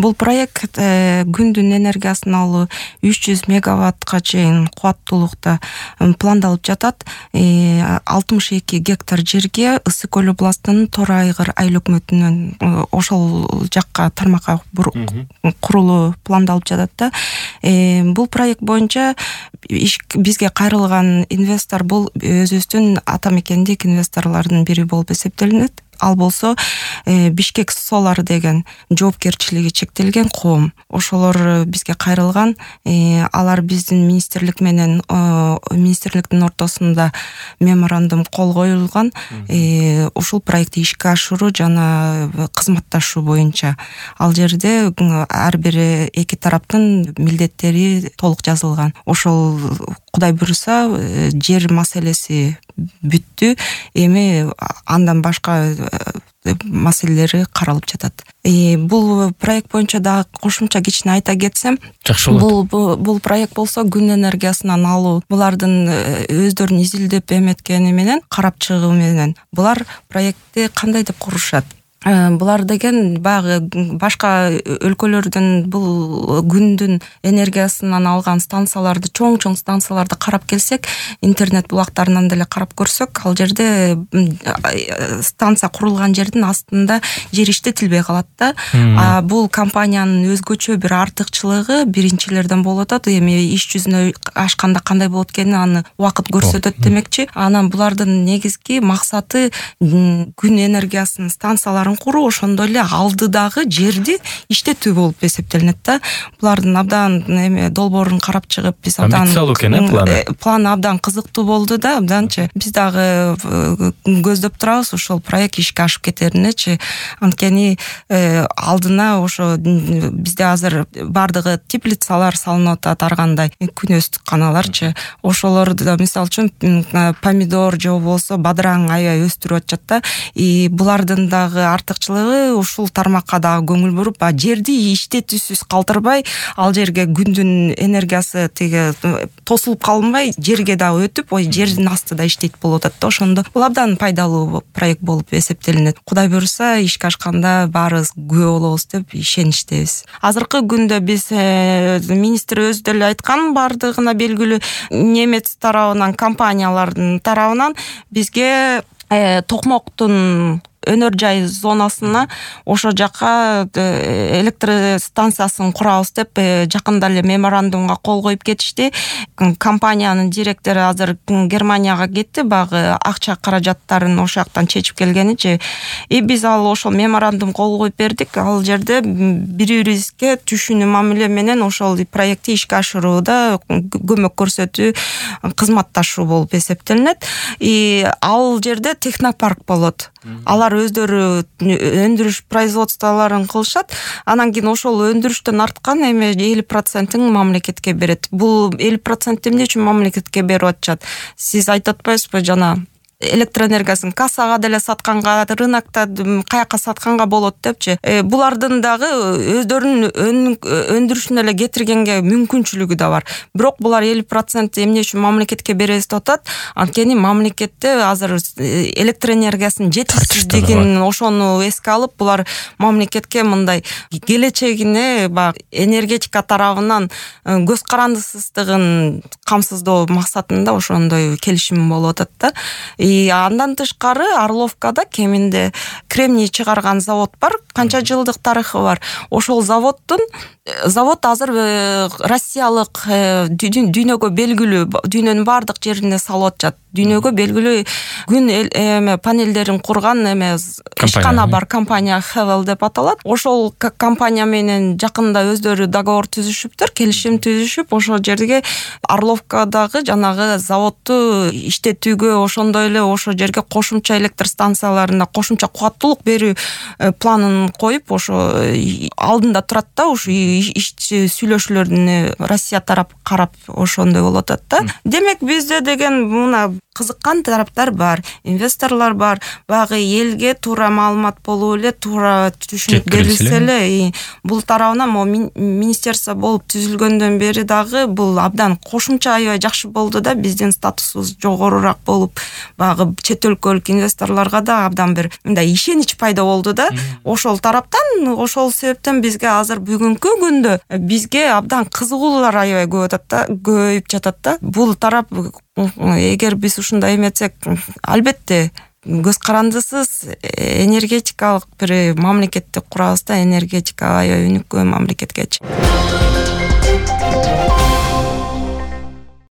Бул проект күндүн энергиясын алуу 300 мегаваттка чейин кубаттуулукта пландалып жатат. 62 гектар жерге Ысык көл областынын Тор Айгыр айыл өкмөтүнөн ошол жакка тармакка курулуу пландалып жатат да. Бул проект боюнча бизге кайрылган инвестор бул өзүбүздүн ата мекендик инвесторлордун бири болуп эсептелинет. Ал болсо Бишкек Solar деген жоопкерчилиги чектелген коом. Ошолор бизге кайрылган. Алар биздин министрлик менен министрликтин ортосунда меморандум кол коюлган. Ушул проектти ишке ашыруу жана кызматташуу боюнча. Ал жерде ар бир эки тараптын милдеттери толук жазылган. Ошол Кудай буйруса жер маселеси бүттү. Эми андан башка маселелери каралып жатат. Бул проект боюнча да кошумча кичине айта кетсем, жакшы болот. Бул проект болсо күн энергиясынан алуу, булардын өздөрүнүн изилдеп эметкени менен, карап чыгуу менен булар проектти кандай деп курушат? Булар деген баягы башка өлкөлөрдүн бул күндүн энергиясынан алган станцияларды, чоң станцияларды карап келсек, интернет булактарынан деле карап көрсөк, ал жерде станция курулган жердин астында жер иштетилбей калат да. Бул компаниянын өзгөчө бир артыкчылыгы биринчилерден болуп атат. Эми иш жүзүнө ашканда кандай болот экенин аны убакыт көрсөтөт демекчи. Анан булардын негизги максаты күн энергиясынын станцияларын куруу, ошондой эле алдыдагы жерди иштетүү болуп эсептелинет да. Булардын абдан долбоорун карап чыгып, биз абдан план абдан кызыктуу болду да, абданчы. Биз дагы көздөп турабыз ошол проект ишке ашып кетеринечи. Анткени алдына ошо бизде азыр бардыгы теплицалар салынып атат, ар кандай күнөстүк каналарчы. Ошолорду мисалы үчүн помидор же болбосо бадыраң аябай өстүрүп атышат да. Булардын дагы артыкчылыгы ушул тармакка дагы көңүл буруп, жерди иштетүүсүз калтырбай, ал жерге күндүн энергиясы тиги тосулуп калынбай, жерге дагы өтүп, жердин астыда иштейт болуп атат да. Ошондо бул абдан пайдалуу проект болуп эсептелинет. Кудай буйруса ишке ашканда баарыбыз күбө болобуз деп ишеничтебиз. Азыркы күндө биз министр өзү деле айткан, бардыгына белгилүү немец тарабынан, компаниялардын тарабынан бизге Токмоктун өнөр жай зонасына ошо жака электр станциясын курабыз деп жакында эле меморандумга кол коюп кетишти. Компаниянын директору азыр Германияга кетти, багы акча каражаттарын ошол жактан чечип келгеничи. Биз ал ошол меморандум кол коюп бердик. Ал жерде бири-бирибизге түшүнүү мамиле менен ошол проектти ишке ашырууда көмөк көрсөтүү, кызматташуу болуп эсептелинет. Ал жерде технопарк болот. Алар өздөрү өндүрүш производстволорун кылышат. Анан кийин ошол өндүрүштөн арткан 50%-ын мамлекетке берет. Бул 50% эмне үчүн мамлекетке берип атышат? Сиз айтып атпайсызбы жана электроэнергиясын кассага деле сатканга, рынокто каякка сатканга болот депчи. Булардын дагы өздөрүнүн өндүрүшүн эле кетиргенге мүмкүнчүлүгү да бар. Бирок булар 50% эмне үчүн мамлекетке беребиз деп атат? Анткени мамлекетте азыр электроэнергиясынын жетишсиздигин ошону эске алып, булар мамлекетке мындай келечегине энергетика тарабынан көз карандысыздыгын камсыздоо максатында ошондой келишим болуп атат да. Андан тышкары Орловкада кеминде кремний чыгарган завод бар, канча жылдык тарыхы бар. Ошол завод азыр Россиялык дүйнөгө белгилүү, дүйнөнүн бардык жерине салып атышат. Дүйнөгө белгилүү күн панелдерин курган ишкана бар, компания Hevel деп аталат. Ошол компания менен жакында өздөрү договор түзүшүптүр, келишим түзүшүп, ошол жерге Орловкадагы жанагы заводду иштетүүгө, ошондой эле ошол жерге кошумча электр станцияларына кошумча кубаттуулук берүү планын коюп, ошо алдында турат да. Ушу иш сүйлөшүүлөрүн Россия тарап карап ошондой болуп атат да. Демек бизде деген мына кызыккан тараптар бар, инвесторлор бар. Багы элге туура маалымат болуп эле, туура түшүнүп берилсе эле, бул тарабынан министерство болуп түзүлгөндөн бери дагы бул абдан кошумча аябай жакшы болду да. Биздин статусубуз жогорураак болуп, баягы чет өлкөлүк инвесторлорго да абдан бир мындай ишенич пайда болду да. Ошол тараптан, ошол себептен бизге азыр бүгүнкү күндө бизге абдан кызыгуулар аябай көбөйүп жатат да. Бул тарап эгер биз ушундай эметсек, албетте көз карандысыз энергетикалык бир мамлекетти курабыз да, энергетика аябай өнүккөн мамлекет кетчү.